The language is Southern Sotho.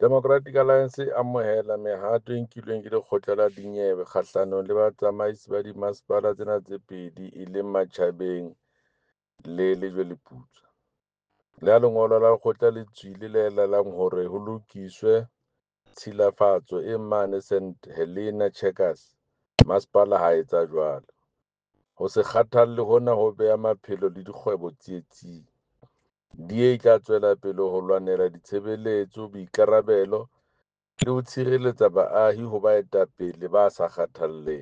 Democratic Alliance e amohela mehato e nkilweng ke lekgotla la dinyewe kgahlanong le batsamaisi ba dimasepala tsena tse pedi e leng Matjhabeng le Lejweleputswa. Le ha lengolo la lekgotla le tswile le laelang hore ho lokiswe tshilafatso e mane St Helena Checkers, masepala ha a etsa jwalo. Ho se kgathalle hona ho beha maphelo le dikgwebo tsietsing. DA e tla tswela pele ho lwanela ditshebeletso, boikarabelo le ho tshireletsa baahi ho baetapele ba sa kgathalleng.